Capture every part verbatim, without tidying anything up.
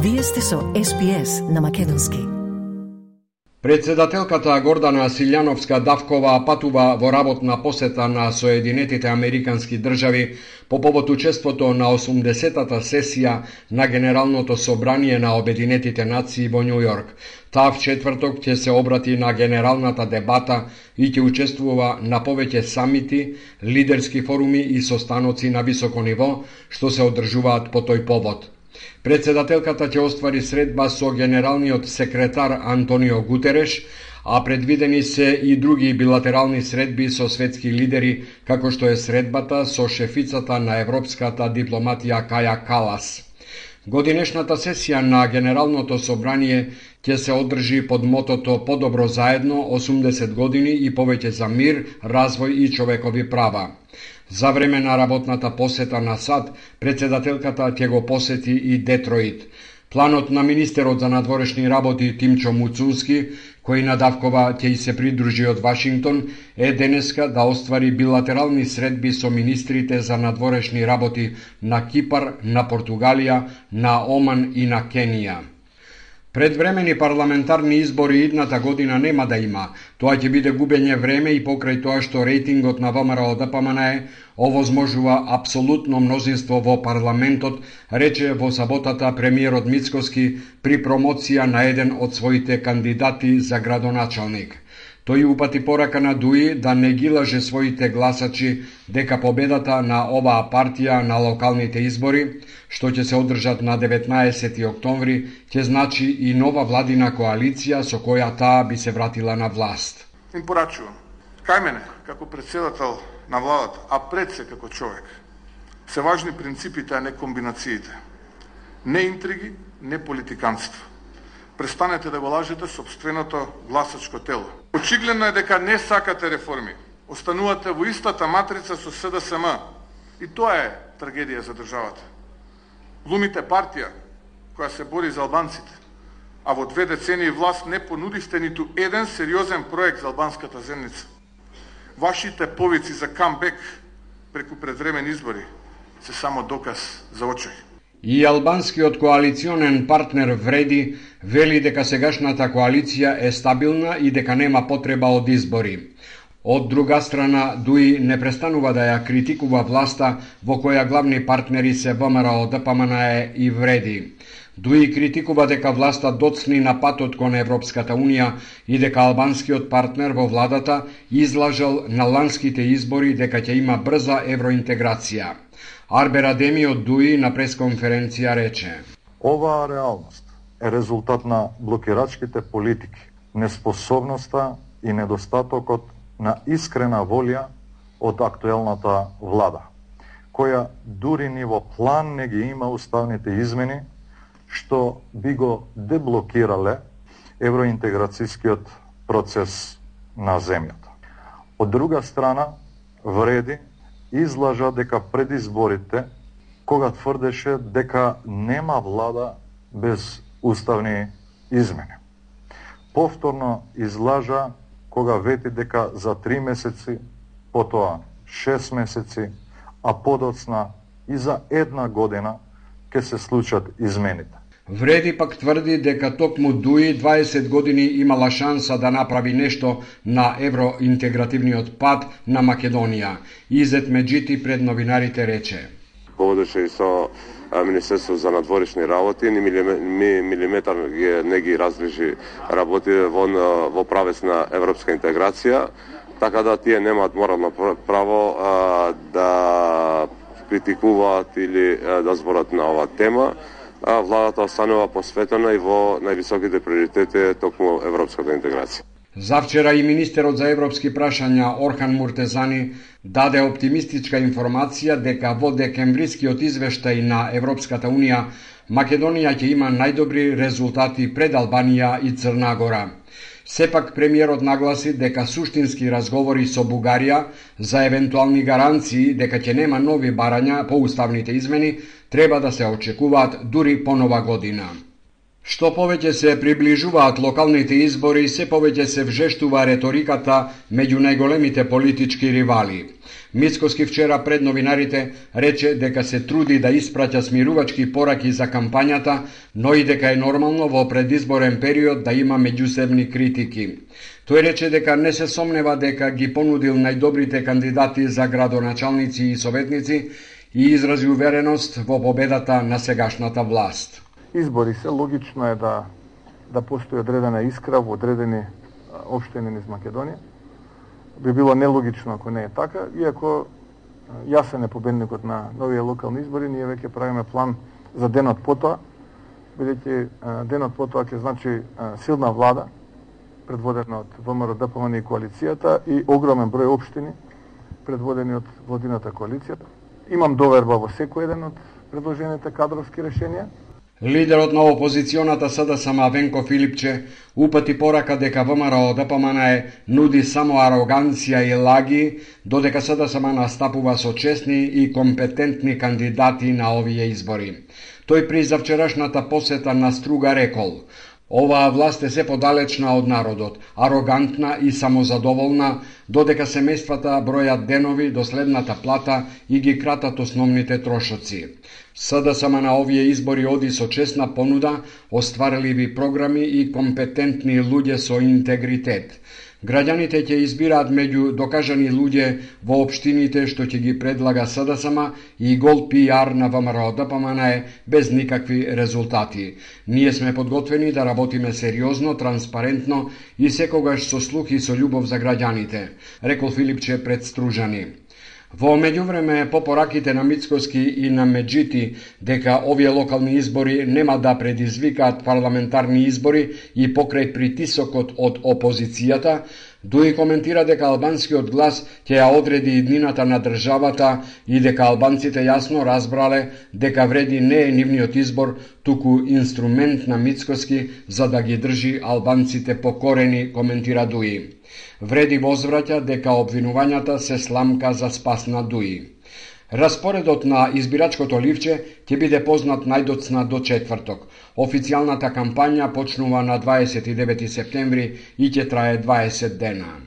Вие сте со Ес Би Ес на македонски. Председателката Гордана Силјановска-Давкова патува во работна посета на Соединетите Американски држави по повод учеството на осумдесетата сесија на Генералното собрание на Обединетите нации во Њу Јорк. Таа в четврток ќе се обрати на генералната дебата и ќе учествува на повеќе самити, лидерски форуми и состаноци на високо ниво, што се одржуваат по тој повод. Председателката ќе оствари средба со генералниот секретар Антонио Гутереш, а предвидени се и други билатерални средби со светски лидери, како што е средбата со шефицата на европската дипломатија Каја Калас. Годинешната сесија на Генералното собрание ќе се одржи под мотото "Подобро заедно, осумдесет години и повеќе за мир, развој и човекови права". За време на работната посета на САД, председателката ќе го посети и Детроит. Планот на министерот за надворешни работи Тимчо Муцунски, кој надавкова ќе и се придружи од Вашингтон, е денеска да оствари билатерални средби со министрите за надворешни работи на Кипар, на Португалија, на Оман и на Кенија. Предвремени парламентарни избори идната година нема да има. Тоа ќе биде губење време и покрај тоа што рейтингот на ВМРО Д П М Н Е овозможува апсолутно мнозинство во парламентот, рече во саботата премиерот Мицкоски при промоција на еден од своите кандидати за градоначалник. Тој упати порака на Дуи да не ги лаже своите гласачи дека победата на оваа партија на локалните избори, што ќе се одржат на деветнаесети октомври, ќе значи и нова владина коалиција со која таа би се вратила на власт. Им порачувам, кај мене, како председател на владата, а пред се како човек, се важни принципите, а не комбинациите. Не интриги, не политиканство. Престанете да го лажете собственото гласачко тело. Очигледно е дека не сакате реформи. Останувате во истата матрица со С Д С М. И тоа е трагедија за државата. Глумите партија која се бори за албанците, а во две децении власт не понудивте ниту еден сериозен проект за албанската земница. Вашите повици за камбек преку предвремени избори се само доказ за очај. И албанскиот коалиционен партнер Вреди вели дека сегашната коалиција е стабилна и дека нема потреба од избори. Од друга страна, Дуи не престанува да ја критикува власта во која главни партнери се В М Р О Д П М Н Е и Вреди. Дуи критикува дека власта доцни на патот кон Европската Унија и дека албанскиот партнер во владата излажал на ланските избори дека ќе има брза евроинтеграција. Арбер Адеми од Дуи на пресконференција рече: Оваа реалност е резултат на блокирачките политики, неспособноста и недостатокот на искрена волја од актуелната влада, која дури ни во план не ги има уставните измени, што би го деблокирале евроинтеграцијскиот процес на земјата. Од друга страна, Вреди излажа дека пред изборите, кога тврдеше дека нема влада без уставни измени. Повторно излажа кога вети дека за три месеци, потоа шест месеци, а подоцна и за една година ќе се случат измените. Вреди пак тврди дека токму Дуи дваесет години имала шанса да направи нешто на евроинтегративниот пат на Македонија. Изет Меджити пред новинарите рече: Говореше и со Министерство за надворешни работи, ни милиметар не ги разлежи работи во, во правец на европска интеграција, така да тие немаат морално право а, да критикуваат или а, да зборат на оваа тема. А владата останува посветена и во највисоките приоритети токму европската интеграција. Завчера и министерот за европски прашања Орхан Муртезани даде оптимистичка информација дека во декемврискиот извештај на Европската Унија Македонија ќе има најдобри резултати пред Албанија и Црна Гора. Сепак премиерот нагласи дека суштински разговори со Бугарија за евентуални гаранции дека ќе нема нови барања по уставните измени треба да се очекуваат дури по нова година. Што повеќе се приближуваат локалните избори, се повеќе се вжештува реториката меѓу најголемите политички ривали. Мицкоски вчера пред новинарите рече дека се труди да испраќа смирувачки пораки за кампањата, но и дека е нормално во предизборен период да има меѓусебни критики. Тој рече дека не се сомнева дека ги понудил најдобрите кандидати за градоначалници и советници и изрази увереност во победата на сегашната власт. Избори се, логично е да, да постои одредена искра во одредени општини низ Македонија. Би било нелогично ако не е така, иако јасен е победникот на новите локални избори, ние веќе правиме план за денот потоа, бидејќи денот потоа ќе значи силна влада, предводена од ВМРО Д П М Н и коалицијата и огромен број општини предводени од владината коалиција. Имам доверба во секој еден од предложените кадровски решенија. Лидерот на опозиционата С Д С М Венко Филипче упати порака дека ВМРО Д П М Н нуди само ароганција и лаги, додека С Д С М настапува со честни и компетентни кандидати на овие избори. Тој при завчерашната посета на Струга рекол: оваа власт е се подалечна од народот, арогантна и самозадоволна, додека семејствата бројат денови до следната плата и ги кратат основните трошоци. С Д С М на овие избори оди со честна понуда, остварливи програми и компетентни луѓе со интегритет. Граѓаните ќе избираат меѓу докажани луѓе во општините што ќе ги предлага С Д С М и гол пи ар на ВМРО Д П М Н без никакви резултати. Ние сме подготвени да работиме сериозно, транспарентно и секогаш со слух и со љубов за граѓаните, рекол Филипче пред Стружани. Во меѓувреме, по пораките на Мицкоски и на Меджити дека овие локални избори нема да предизвикаат парламентарни избори и покрај притисокот од опозицијата, Дуи коментира дека албанскиот глас ќе ја одреди иднината на државата и дека албанците јасно разбрале дека вреди не е нивниот избор, туку инструмент на Мицкоски за да ги држи албанците покорени, коментира Дуи. Вреди возвраќа дека обвинувањата се сламка за спас на Дуи. Распоредот на избирачкото ливче ќе биде познат најдоцна до четврток. Официјалната кампања почнува на дваесет и девети септември и ќе трае дваесет дена.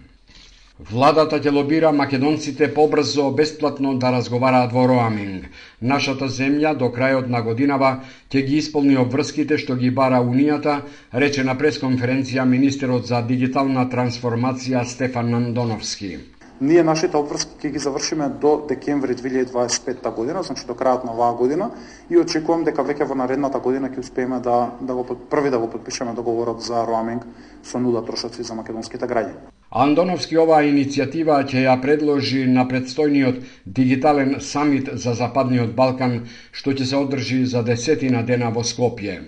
Владата ќе лобира македонците побрзо, бесплатно да разговараат во роаминг. Нашата земја до крајот на годинава ќе ги исполни обврските што ги бара Унијата, рече на пресконференција министерот за дигитална трансформација Стефан Андоновски. Ние нашите обврски ќе ги завршиме до декември две илјади дваесет и петта година, значи до крајот на оваа година, и очекувам дека веќе во наредната година ќе успееме да да го први да го подпишеме договорот за роаминг со нула трошоци за македонските граѓани. Андоновски оваа иницијатива ќе ја предложи на предстојниот дигитален самит за Западниот Балкан, што ќе се одржи за десетина дена во Скопје.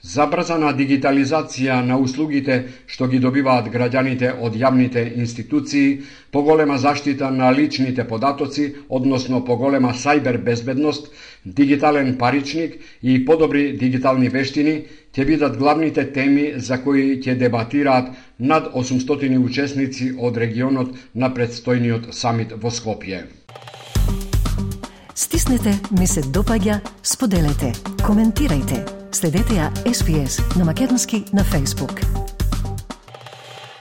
Забрзана дигитализација на услугите што ги добиваат граѓаните од јавните институции, поголема заштита на личните податоци, односно поголема сајбер безбедност, дигитален паричник и подобри дигитални вештини ќе бидат главните теми за кои ќе дебатираат над осумстотини учесници од регионот на предстојниот самит во Скопје. Стиснете, ми се допаѓа, споделете, коментирајте. Следете ја Ес Би Ес на македонски на Facebook.